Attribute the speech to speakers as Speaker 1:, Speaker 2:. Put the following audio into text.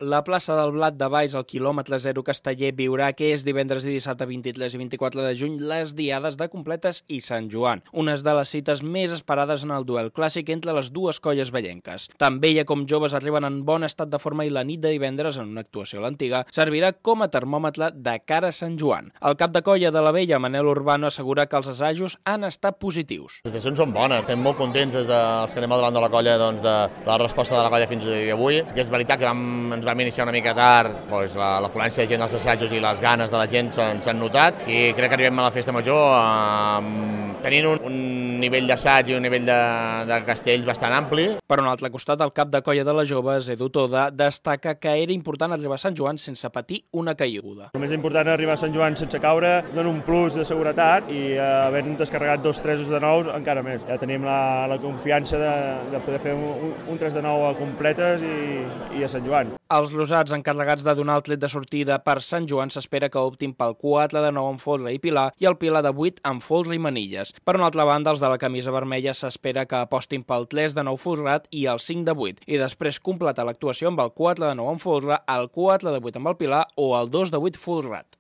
Speaker 1: La plaça del Blat de Baix, al quilòmetre 0 Casteller, viurà aquest divendres i dissabte 23 i 24 de juny les diades de Completes i Sant Joan, unes de les cites més esperades en el duel clàssic entre les dues colles vellenques. Tant vella com joves arriben en bon estat de forma i la nit de divendres, en una actuació a l'Antiga, servirà com a termòmetre de cara a Sant Joan. El cap de colla de la vella, Manel Urbano, assegura que els assajos han estat positius.
Speaker 2: Les sensacions són bones, estem molt contents des dels que anem al davant de la colla de la resposta de la colla fins avui. Sí que és veritat que ens vam iniciar una mica tard, doncs l'afluència de gent als assajos i les ganes de la gent s'han notat i crec que arribem a la festa major tenint un nivell d'assaig i un nivell de castells bastant ampli.
Speaker 1: Per un altre costat, el cap de colla de les joves, Edu Toda, destaca que era important arribar a Sant Joan sense patir una caiguda.
Speaker 3: El més important és arribar a Sant Joan sense caure, dona un plus de seguretat i havent descarregat 2 tresos de nous encara més. Ja tenim la confiança de poder fer un 3 de 9 a completes i a Sant Joan.
Speaker 1: Els rosats encarregats de donar el tret de sortida per Sant Joan s'espera que optin pel 4 de 9 amb folre i pilar i el pilar de 8 amb folre i manilles. Per una altra banda, els de la camisa vermella s'espera que apostin pel 3 de 9 folrat i el 5 de 8 i després completar l'actuació amb el 4 de 9 amb folre, el 4 de 8 amb el pilar o el 2 de 8 folrat.